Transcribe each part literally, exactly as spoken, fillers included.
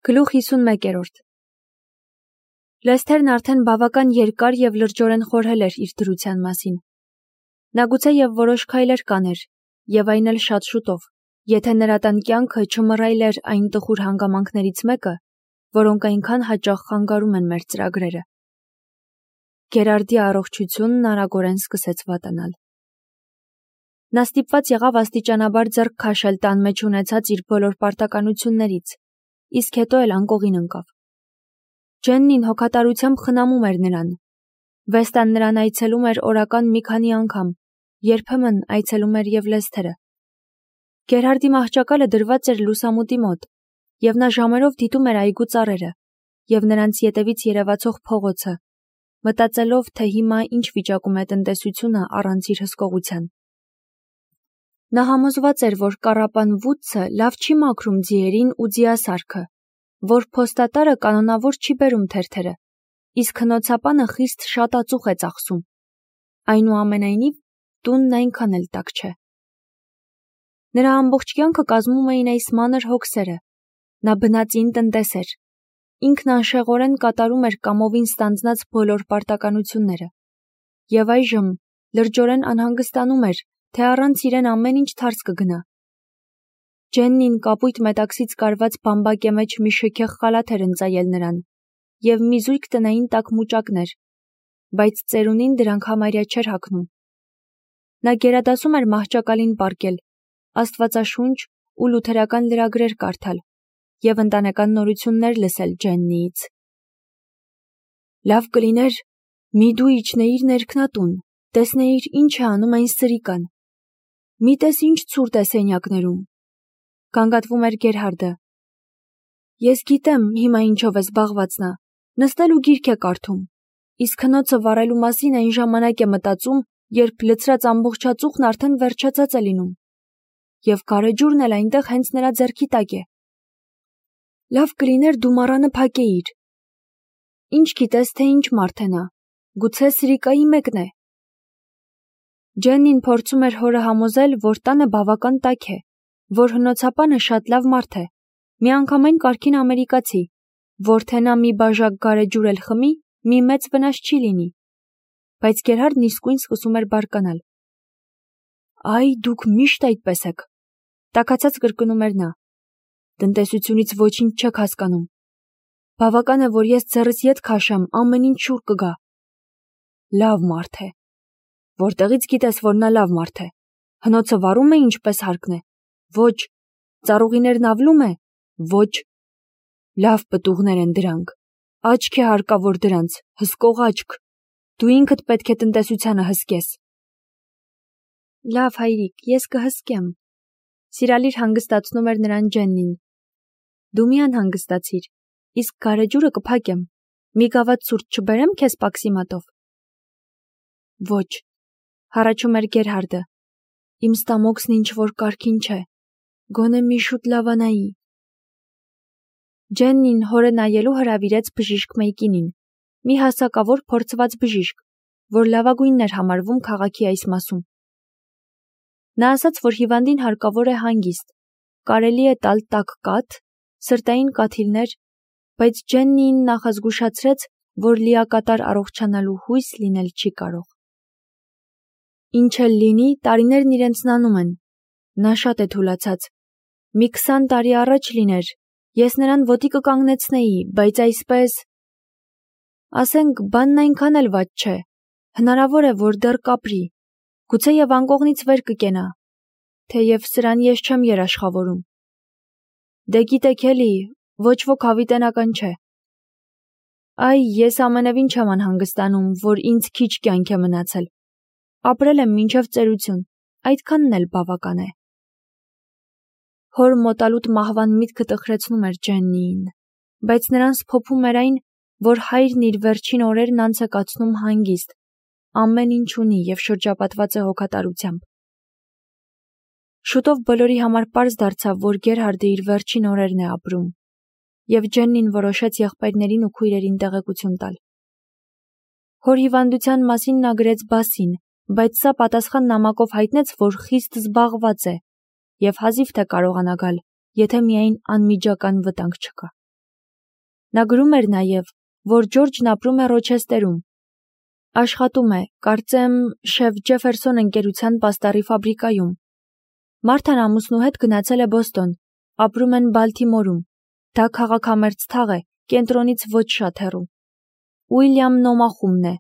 Գլուխ հիսունմեկերորդ Լեսթերն արդեն բավական երկար և լրջորեն խորհել էր իր դրության մասին։ Նա գուցե և որոշ քայլեր կաներ, և այն էլ շատ շուտով, եթե նրա տան կյանքը չմռայլ էր այն տխուր հանգամանքներից մեկը, որոնք այնքան հաճախ խանգարում են մեր ծրագրերը։ Գերարդի առողջությունն արագորեն սկսեց վատանալ։ Նա ստիպված եղավ աստիճանաբար ձեռք քաշել տան մեջ ունեցած իր բոլոր պարտականություններից, իսկ հետո էլ անկողին ընկավ։ Ջեննին հոգատարությամբ խնամում էր նրան։ Վեստան նրան այցելում էր օրական մի քանի անգամ, երբեմն այցելում էր և Լեսթերը։ Գերհարդի մահճակալը դրված էր լուսամուտի մոտ, և նա ժամերով դիտում էր այգու ծառերը և նրանց ետևից երևացող փողոցը, մտածելով, թե հիմա ինչ վիճակում է տնտեսությունը առանց իր հսկողության։ Նա համոզված էր, որ կառապան Վուդսը լավ չի մաքրում ձիերին ու ձիասարքը, որ փոստատարը կանոնավոր չի բերում թերթերը, իսկ հնոցապանը խիստ շատ ածուխ է ծախսում։ Այնուամենայնիվ, տունն այնքան էլ տաք չէ։ Նրա ամբողջ կյանքը կազմում էին այս մանր հոգսերը։ Նա բնածին տնտես էր։ Ինքն անշեղորեն կատարում էր կամովին ստանձնած բոլոր պարտականությունները։ Եվ այժմ լրջորեն անհանգստանում էր, թե առանց իրեն ամեն ինչ թարս կգնա։ Ջեննին կապույտ մետաքսից կարված բամբակե մեջ մի շքեղ խալաթ էր ընծայել նրան և մի զույգ տնային տաք մուճակներ, բայց ծերունին դրանք համարյա չէր հագնում։ Նա գերադասում էր մահճակալին պառկել, աստվածաշունչ ու լութերական լրագրեր կարդալ և ընտանեկան նորություններ լսել Ջեննիից։ Լավ կլիներ, մի դու իջնեիր ներքնատուն, տեսնեիր ինչ է անում այն սրիկան։ Մի տես ինչ ցուրտ է սենյակներում, գանգատվում էր Գերհարդը։ Ես գիտեմ հիմա ինչով է զբաղված նա, նստել ու գիրք է կարդում, իսկ հնոցը վառելու մասին այն ժամանակ է մտածում, երբ լցրած ամբողջածուխն արդեն վերջացած է լինում, և գարեջուրն էլ այնտեղ հենց նրա ձեռքի տակ է։ Լավ կլիներ դու մառանը փակեիր։ Ինչ գիտես, թե ինչ մարդ է նա, գուցե սրիկայի մեկն է։ Ջեննին փորձում էր հորը համոզել, որ տանը բավական տաք է, որ հնոցապանը շատ լավ մարդ է, միանգամայն կարգին ամերիկացի, որ թե նա մի բաժակ գարեջուր էլ խմի, մի մեծ վնաս չի լինի։ Բայց Գերհարդն իսկույն սկսում էր բարկանալ։ Այ դուք միշտ այդպես եք, տաքացած կրկնում էր նա։ Տնտեսությունից ոչինչ չեք հասկանում։ Բավական է, որ ես ձեռս ետ քաշեմ, ամեն ինչ շուռ կգա։ Լավ մարդ է։ Որտեղից գիտես, որ նա լավ մարդ է։ Հնոցը վառում է ինչպես հարկն է։ Ոչ։ Ծառուղիներն ավլում է։ Ոչ։ Լավ պտուղներ են դրանք։ Աչք է հարկավոր դրանց, հսկող աչք։ Դու ինքդ պետք է տնտեսությանը հսկես։ Լավ հայրիկ, ես կհսկեմ։ Սիրալիր հանգստացնում էր նրան Ջեննին։ Դու մի անհանգստացիր, իսկ գարեջուրը կփակեմ։ Մի գավաթ ցուրտ չբերեմ քեզ պաքսիմատով։ Ոչ, հառաչում էր Գերհարդը։ Իմ ստամոքսն ինչ որ կարգին չէ։ Գոնե մի շուտ լավանայի։ Ջեննին հորը նայելու հրավիրեց բժիշկ Մեյկինին, մի հասակավոր փորձված բժիշկ, որ լավագույնն էր համարվում քաղաքի այս մասում։ Նա ասաց, որ հիվանդին հարկավոր է հանգիստ, կարելի է տալ տաք կաթ, սրտային կաթիլներ, բայց Ջեննին նախազգուշացրեց, որ լիակատար առողջանալու հույս լինել չի կարող։ Ինչ էլ լինի, տարիներն իրենցն անում են։ Նա շատ է թուլացած։ Մի քսան տարի առաջ լիներ, ես նրան ոտի կկանգնեցնեի, բայց այսպես… Ասենք, բանն այնքան էլ վատ չէ։ Հնարավոր է, որ դեռ կապրի, գուցե և անկողնից վեր կկենա, թեև սրան ես չեմ երաշխավորում։ Դե գիտեք էլի, ոչ ոք հավիտենական չէ։ Այ, ես ամենևին չեմ անհանգստանում, որ ինձ քիչ կյանք է մնացել։ Ապրել եմ մինչև ծերություն, այդքանն էլ բավական է։ Հոր մոտալուտ մահվան միտքը տխրեցնում էր Ջեննիին, բայց նրան սփոփում էր այն, որ հայրն իր վերջին օրերն անց է կացնում հանգիստ, ամեն ինչ ունի և շրջապատված է հոգատարությամբ։ Շուտով բոլորի համար պարզ դարձավ, որ Գերհարդը իր վերջին օրերն է ապրում, և Ջեննին որոշեց եղբայրներին ու քույրերին տեղեկություն տալ։ Հոր հիվանդության մասին նա գրեց Բասին, բայց սա պատասխան նամակով հայտնեց, որ խիստ զբաղված է և հազիվ թե կարողանա գալ, եթե միայն անմիջական վտանգ չկա։ Նա գրում էր նաև, որ Ջորջն ապրում է Ռոչեստերում։ Աշխատում է, կարծեմ, շեֆ Ջեֆերսոն ընկերության պաստառի ֆաբրիկայում։ Մարթան ամուսնու հետ գնացել է Բոստոն, ապրում են Բալթիմորում։ Դա քաղաքամերձ թաղ է, կենտրոնից ոչ շատ հեռու։ Ուիլյամ Նոմախումն է։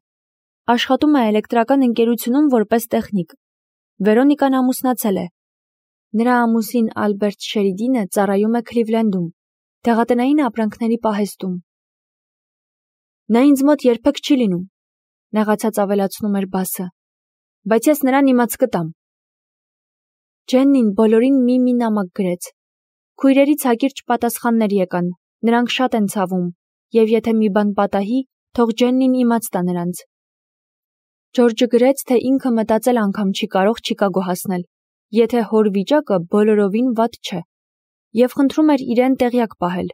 Աշխատում է էլեկտրական ընկերությունում որպես տեխնիկ։ Վերոնիկան ամուսնացել է։ Նրա ամուսին Ալբերտ Շերիդինը ծառայում է Քլիվլենդում, դեղատնային ապրանքների պահեստում։ Նա ինձ մոտ երբեք չի լինում, նեղացած ավելացնում էր Բասը, բայց ես նրան իմաց կտամ։ Ջեննին բոլորին մի-մի նամակ գրեց։ Քույրերից հակիրճ պատասխաններ եկան, նրանք շատ են ցավում, և եթե մի բան պատահի, թող Ջեննին իմաց տա նրանց։ Ջորջը գրեց, թե ինքը մտածել անգամ չի կարող Չիկագո հասնել, եթե հոր վիճակը բոլորովին վատ չէ, և խնդրում էր իրեն տեղյակ պահել։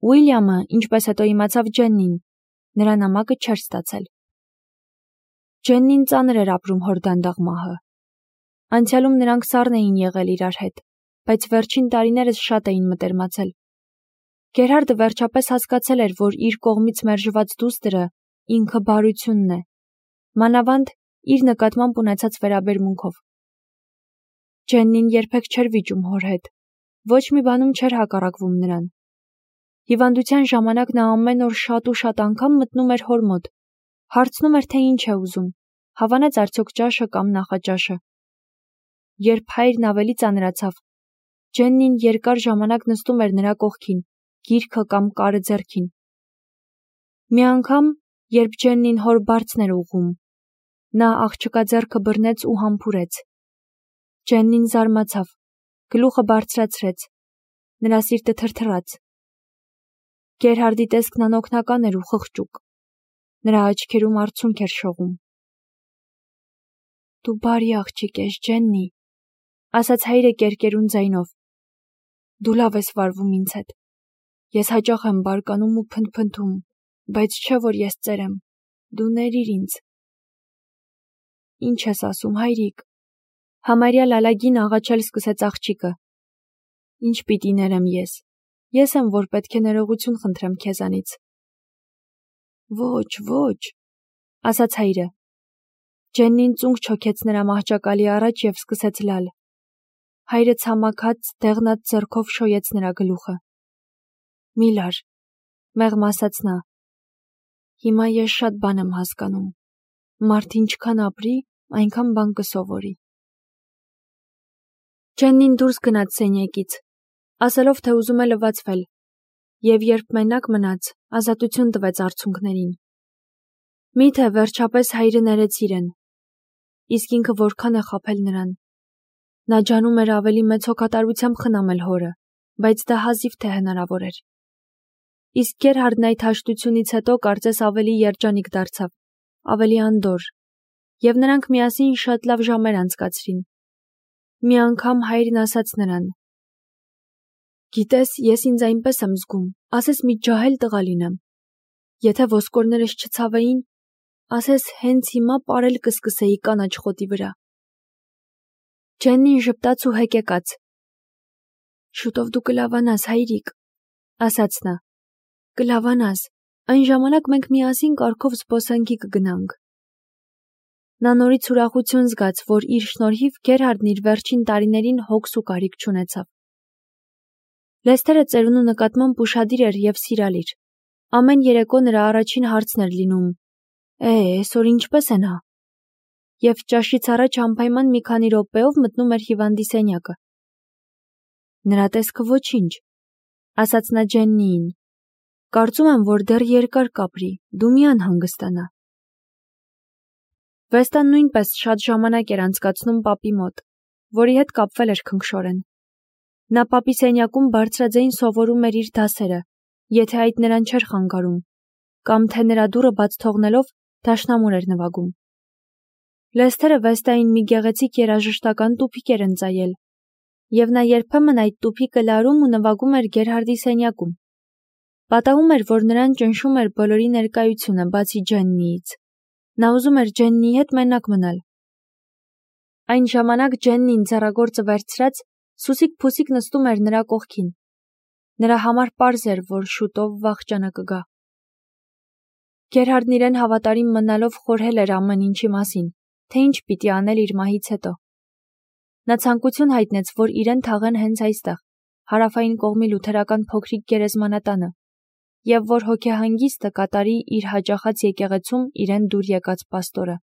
Ուիլյամը, ինչպես հետո իմացավ Ջեննին, նրա նամակը չէր ստացել։ Ջեննին ծանր էր ապրում հոր դանդաղ մահը։ Անցյալում նրանք սառն էին եղել իրար հետ, բայց վերջին տարիներս շատ էին մտերմացել։ Գերհարդը վերջապես հասկացել էր, որ իր կողմից մերժված դուստրը ինքը բարությունն է, մանավանդ իր նկատմամբ ունեցած վերաբերմունքով։ Ջեննին երբեք չէր վիճում հոր հետ, ոչ մի բանում չէր հակառակվում նրան։ Հիվանդության ժամանակ նա ամեն օր շատ ու շատ անգամ մտնում էր հոր մոտ, հարցնում էր, թե ինչ է ուզում, հավանեց արդյոք ճաշը կամ նախաճաշը։ Երբ հայրն ավելի ծանրացավ, Ջեննին երկար ժամանակ նստում էր նրա կողքին, գիրքը կամ կարը ձեռքին։ Մի անգամ, երբ Ջեննին հոր բարձն էր ուղղում, նա աղջկա ձեռքը բռնեց ու համբուրեց։ Ջեննին զարմացավ, գլուխը բարձրացրեց, նրա սիրտը թրթռաց։ Գերհարդի տեսքն անօգնական էր ու խղճուկ, նրա աչքերում արցունք էր շողում։ Դու բարի աղջիկ ես, Ջեննի, ասաց հայրը կերկերուն ձայնով։ Դու լավ ես վարվում ինձ հետ։ Ես հաճախ եմ բարկանում ու փնթփնթում, բայց չէ որ ես ծեր եմ, դու ներիր ինձ։ Ինչ ես ասում, հայրիկ։ Համարյա լալագին աղաչել սկսեց աղջիկը։ Ինչ պիտի ներեմ ես։ Ես եմ, որ պետք է ներողություն խնդրեմ քեզանից։ Ոչ, ոչ, ասաց հայրը։ Ջեննին ծունկ չոքեց նրա մահճակալի առաջ և սկսեց լալ։ Հայրը ցամաքած, դեղնած ձեռքով շոյեց նրա գլուխը։ Մի լար, մեղմ ասաց նա։ Հիմա ես շատ բան եմ հասկանում։ Մարդ ինչքան ապրի, այնքան բան կսովորի։ Ջեննին դուրս գնաց սենյակից, ասելով, թե ուզում է լվացվել, և երբ մենակ մնաց, ազատություն տվեց արցունքներին։ Միթե վերջապես հայրը ներեց իրեն։ Իսկ ինքը որքան է խաբել նրան։ Նա ջանում էր ավելի մեծ հոգատարությամբ խնամել հորը, բայց դա հազիվ թե հնարավոր էր։ Իսկ Գերհարդն այդ հաշտությունից հետո կարծես ավելի երջանիկ դարձավ, ավելի անդորր, և նրանք միասին շատ լավ ժամեր անցկացրին։ Մի անգամ հայրն ասաց նրան. Գիտես, ես ինձ այնպես եմ զգում, ասես մի ջահել տղա լինեմ։ Եթե ոսկորներս չցավեին, ասես հենց հիմա պարել կսկսեի կանաչ խոտի վրա։ Ջեննին ժպտաց ու հեկեկաց։ Շուտով դու կլավանաս, հայրիկ, ասաց նա։ Կլավանաս, այն ժամանակ մենք միասին կառքով զբոսանքի կգնանք։ Նա նորից ուրախություն զգաց, որ իր շնորհիվ Գերհարդն իր վերջին տարիներին հոգս ու կարիք չունեցավ։ Լեսթերը ծերունու նկատմամբ ուշադիր էր և սիրալիր։ Ամեն երեկո նրա առաջին հարցն էր լինում. Է, այսօր ինչպես է նա։ Եվ ճաշից առաջ անպայման մի քանի րոպեով մտնում էր հիվանդի սենյակը։ Նրա տեսքը ոչինչ, ասաց նա Ջեննիին։ Կարծում եմ, որ դեռ երկար կապրի, դու մի անհանգստանա։ Վեստան նույնպես շատ ժամանակ էր անցկացնում պապի մոտ, որի հետ կապվել էր քնքշորեն։ Նա պապի սենյակում բարձրաձայն սովորում էր իր դասերը, եթե այդ նրան չէր խանգարում, կամ թե նրա դուռը բաց թողնելով դաշնամուր էր նվագում։ Լեսթերը Վեստային մի գեղեցիկ երաժշտական տուփիկ էր ընծայել, և նա երբեմն այդ տուփիկը լարում ու նվագում էր Գերհարդի սենյակում։ Պատահում էր, որ նրան ճնշում էր բոլորի ներկայությունը, բացի Ջեննիից։ Նա ուզում էր Ջեննիի հետ մենակ մնալ։ Այն ժամանակ Ջեննին ձեռագործը վերցրած, սուսիկ փուսիկ նստում էր նրա կողքին։ Նրա համար պարզ էր, որ շուտով վախճանը կգա։ Գերհարդն իրեն հավատարիմ մնալով խորհել էր ամեն ինչի մասին, թե ինչ պիտի անել իր մահից հետո։ Նա ցանկություն հայտնեց, որ իրեն թաղեն հենց այստեղ, հարավային կողմի լութերական փոքրիկ գերեզմանատանը, եւ որ հոգեհանգիստը կատարի իր հաճախած եկեղեցում իրեն դուր եկած պաստորը։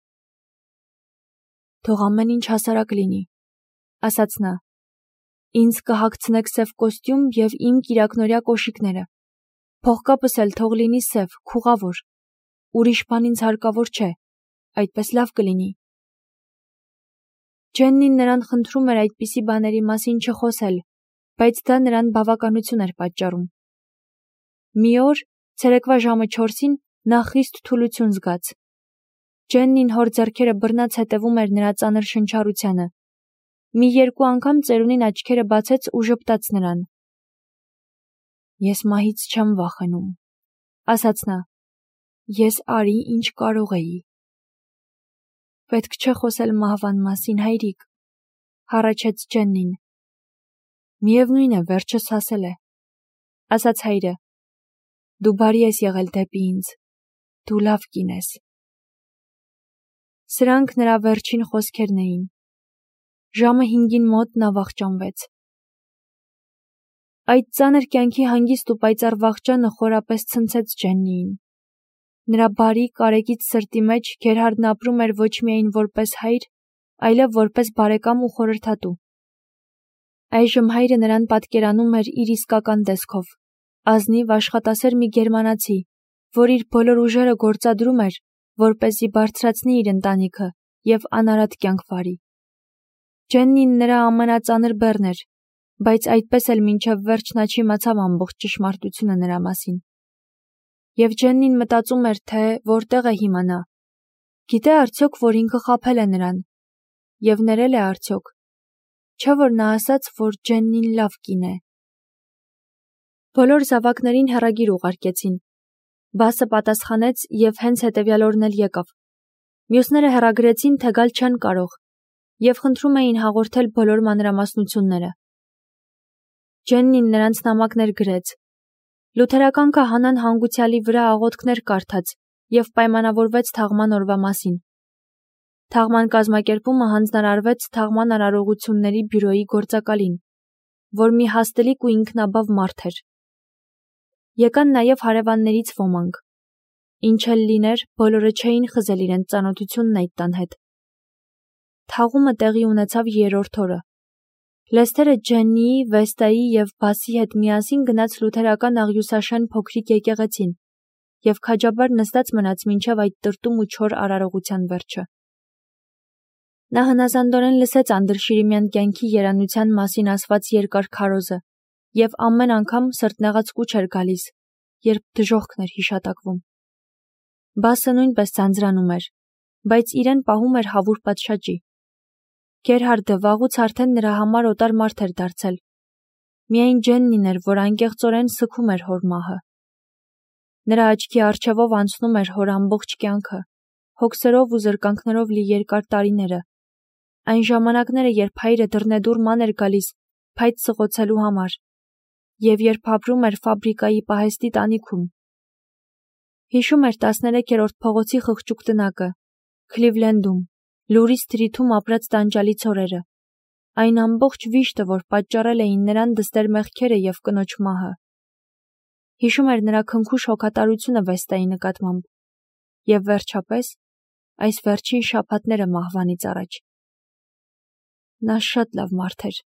Թող ամեն ինչ հասարակ լինի, ասաց նա։ Ինձ կհագցնեք սև կոստյում եւ իմ կիրակնորյա կոշիկները։ Փողկապս էլ թող լինի սև, քուղավոր։ Ուրիշ բան ինձ հարկավոր չէ, այդպես լավ կլինի։ Ջեննին նրան խնդրում էր այդպիսի բաների մասին չխոսել, բայց դա նրան բավականություն էր պատճառում։ Մի օր, ցերեկվա ժամը չորսին, նա խիստ թուլություն զգաց։ Ջեննին հոր ձեռքերը բռնած հետևում էր նրա ծանր շնչառությանը։ Մի երկու անգամ ծերունին աչքերը բացեց ու ժպտաց նրան։ Ես մահից չեմ վախենում, ասաց նա։ Ես արի ինչ կարող էի։ Պետք չէ խոսել մահվան մասին, հայրիկ, հառաչեց Ջեննին։ Միևնույն է, վերջս հասել է, ասաց հայրը։ Դու բարի ես եղել դեպի ինձ, դու լավ կին ես։ Սրանք նրա վերջին խոսքերն էին։ Ժամը հինգին մոտ նա վախճանվեց։ Այդ ծանր կյանքի հանգիստ ու պայծառ վախճանը խորապես ցնցեց Ջեննիին։ Նրա բարի, կարեկից սրտի մեջ Գերհարդն ապրում էր ոչ միայն որպես հայր, այլև որպես բարեկամ ու խորհրդատու։ Այժմ հայրը նրան պատկերանում էր իր իսկական տեսքով, ազնիվ աշխատասեր մի գերմանացի, որ իր բոլոր ուժերը գործադրում էր, որպեսզի բարձրացնի իր ընտանիքը եւ անարատ կյանք վարի։ Ջեննին նրա ամենածանր բեռն էր, բայց այդպես էլ մինչև վերջ նա չիմացավ ամբողջ ճշմարտությունը նրա մասին։ Եվ Ջեննին մտածում էր, թե որտեղ է հիմա նա։ Գիտե արդյոք, որ ինքը խաբել է նրան։ Եվ ներել է արդյոք։ Չէ՞ որ նա ասաց, որ Ջեննին լավ կին է։ Բոլոր զավակներին հեռագիր ուղարկեցին։ Բասը պատասխանեց եւ հենց հետեւյալ օրն էլ եկավ։ Մյուսները հեռագրեցին, թե գալ չեն կարող, եւ խնդրում էին հաղորդել բոլոր մանրամասնությունները։ Ջեննին նրանց նամակներ գրեց։ Լութերական քահանան հանգուցյալի վրա աղոթքներ կարդաց եւ պայմանավորվեց թաղման օրվա մասին։ Թաղման կազմակերպումը հանձնարարվեց թաղման արարողությունների բյուրոյի գործակալին, որ մի հաստլիկ ու ինքնաբավ մարդ էր։ Եկան նաեւ հարևաններից ոմանք։ Ինչ էլ լիներ, բոլորը չէին խզել իրենց ծանոթությունն այդ տան հետ։ Թաղումը տեղի ունեցավ երրորդ օրը։ Լեսթերը Ջեննիի, Վեստայի եւ Բասի հետ միասին գնաց լութերական աղյուսաշեն փոքրիկ եկեղեցին եւ քաջաբար նստած մնաց մինչև այդ տրտում ու չոր արարողության վերջը։ Նա հնազանդորեն լսեց անդրշիրիմյան կյանքի երանության մասին ասված երկար քարոզը եւ ամեն անգամ սրտնեղած կուչ էր գալիս, երբ դժոխքն էր հիշատակվում։ Բասը նույնպես ձանձրանում էր, բայց իրեն պահում էր հավուր պատշաճի։ Գերհարդը վաղուց արդեն նրա համար օտար մարդ էր դարձել։ Միայն Ջեննին էր, որ անկեղծորեն սգում էր հոր մահը։ Նրա աչքի առջևով անցնում էր հոր ամբողջ կյանքը, հոգսերով ու զրկանքներով լի երկար տարիները, այն ժամանակները, երբ հայրը դռնեդուռ ման էր գալիս փայտ սղոցելու համար, եւ երբ ապրում էր ֆաբրիկայի պահեստի տանիքում։ Հիշում էր տասներեքերորդ փողոցի խղճուկ տնակը, Քլիվլենդում, Լուրի սթրիթում ապրած տանջալից օրերը, այն ամբողջ վիշտը, որ պատճառել էին նրան դստեր մեղքերը եւ կնոջ մահը։ Հիշում էր նրա քնքուշ հոգատարությունը Վեստայի նկատմամբ եւ վերջապես այս վերջին շաբաթները մահվանից առաջ։ Նա շատ լավ մարդ էր,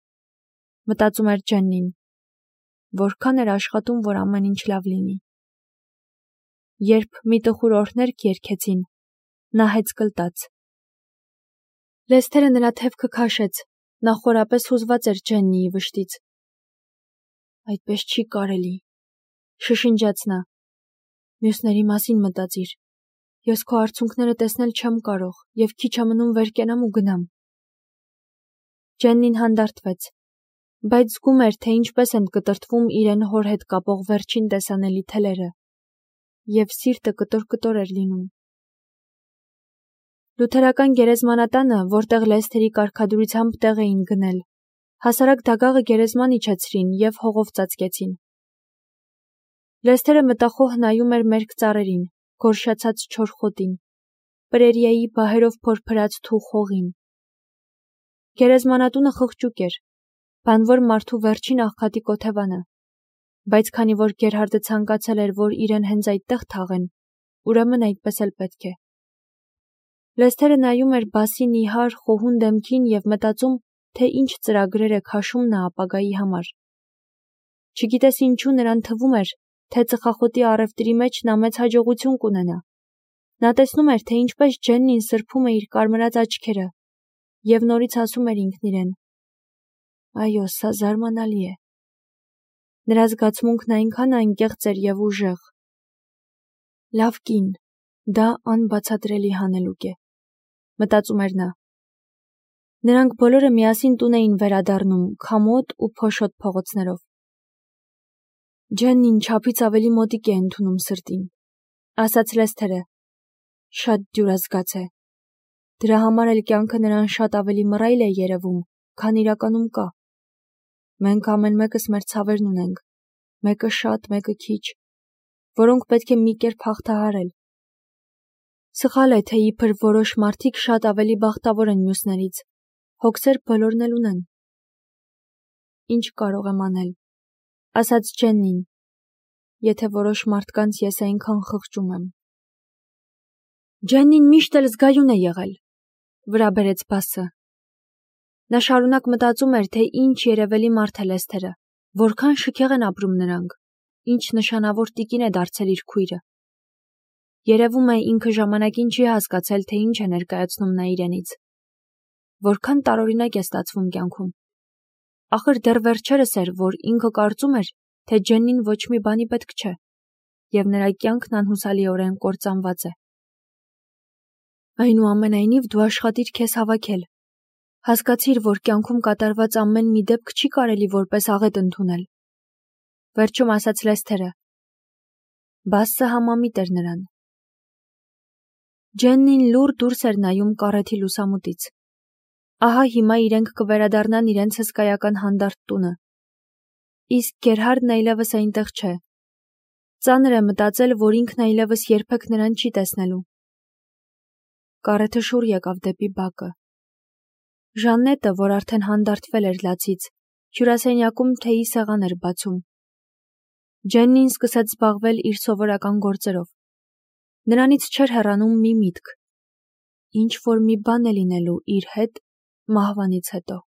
մտածում էր Ջեննին, որքան էր աշխատում, որ ամեն ինչ լավ լինի։ Երբ մի տխուր օրհներգ երգեցին, նա հեծկլտաց։ Լեսթերը նրա թևքը քաշեց, նա խորապես հուզված էր Ջեննիի վշտից։ Այդպես չի կարելի, շշնջաց նա։ Մյուսների մասին մտածիր։ Ես քո արցունքները տեսնել չեմ կարող եւ քիչ է մնում վեր կենամ ու գնամ։ Ջեննին հանդարտվեց, բայց զգում էր, թե ինչպես են կտրտվում իրեն հոր հետ կապող վերջին տեսանելի թելերը, եւ սիրտը կտոր-կտոր էր լինում։ Լութերական գերեզմանատանը, որտեղ Լեսթերի կարգադրությամբ տեղ էին գնել, հասարակ դագաղը գերեզման իջեցրին եւ հողով ծածկեցին։ Լեսթերը մտախոհ նայում էր մերկ ծառերին, գորշացած չոր խոտին, պրերիայի բահերով փորփրած թուխ հողին։ Գերեզմանատունը խղճուկ էր, բանվոր մարդու վերջին աղքատի կոթևանը, բայց քանի որ Գերհարդը ցանկացել էր, որ իրեն հենց այդտեղ թաղեն, ուրեմն այդպես էլ պետք է։ Լեսթերը նայում էր Բասի նիհար խոհուն դեմքին և մտածում, թե ինչ ծրագրեր է քաշում նա ապագայի համար։ Չգիտես ինչու նրան թվում էր, թե ծխախոտի առևտրի մեջ նա մեծ հաջողություն կունենա։ Նա տեսնում էր, թե ինչպես Ջեննին սրբում է իր կարմրած աչքերը և նորից ասում էր ինքն իրեն. այո, սա զարմանալի է։ Նրա զգացմունքն այնքան անկեղծ էր և ուժեղ։ Լավ կին, դա անբացատրելի հանելուկ է, մտածում էր նա։ Նրանք բոլորը միասին տուն էին վերադառնում քամոտ ու փոշոտ փողոցներով։ Ջեննին չափից ավելի մոտիկ է ընդունում սրտին, ասաց Լեսթերը։ Շատ դյուրազգաց է։ Դրա համար էլ կյանքը նրան շատ ավելի մռայլ է երևում, քան իրականում կա։ Մենք ամեն մեկս մեր ցավերն ունենք, մեկը շատ, մեկը քիչ, որոնք պետք է մի կերպ հաղթահարել։ Սխալ է, թե իբր որոշ մարդիկ շատ ավելի բախտավոր են մյուսներից, հոգսեր բոլորն էլ ունեն։ Ինչ կարող եմ անել, ասաց Ջեննին, եթե որոշ մարդկանց ես այնքան խղճում եմ։ Ջեննին միշտ էլ զգայուն է եղել, վրա բերեց Բասը։ Նա շարունակ մտածում էր, թե ինչ երևելի մարդ է Լեսթերը, որքան շքեղ են ապրում նրանք, ինչ նշանավոր տիկին է դարձել իր քույրը։ Երևում է ինքը ժամանակին չի հասկացել, թե ինչ է ներկայացնում նա իրենից։ Որքան տարօրինակ է ստացվում կյանքում։ Ախր դեռ վերջերս էր, որ ինքը կարծում էր, թե Ջեննին ոչ մի բանի պետք չէ, և նրա կյանքն անհուսալիորեն կործանված է։ Այնուամենայնիվ դու աշխատիր քեզ հավաքել։ Հասկացիր, որ կյանքում կատարված ամեն մի դեպք չի կարելի որպես աղետ ընդունել։ Վերջում ասաց Լեսթերը։ Բասը համամիտ էր նրան։ Ջեննին լուռ դուրս էր նայում կառեթի լուսամուտից։ Ահա հիմա իրենք կվերադառնան իրենց հսկայական հանդարտ տունը։ Իսկ Գերհարդն այլևս այնտեղ չէ։ Ծանր է մտածել, որ ինքն այլևս երբեք նրան չի տեսնելու։ Կառեթը շուռ եկավ դեպի բակը։ Ժաննետը, որ արդեն հանդարտվել էր լացից, հյուրասենյակում թեյի սեղան էր բացում։ Ջեննին սկսեց զբաղվել իր սովորական գործերով։ Նրանից չէր հեռանում մի միտք։ Ինչ որ մի բան է լինելու իր հետ մահվանից հետո։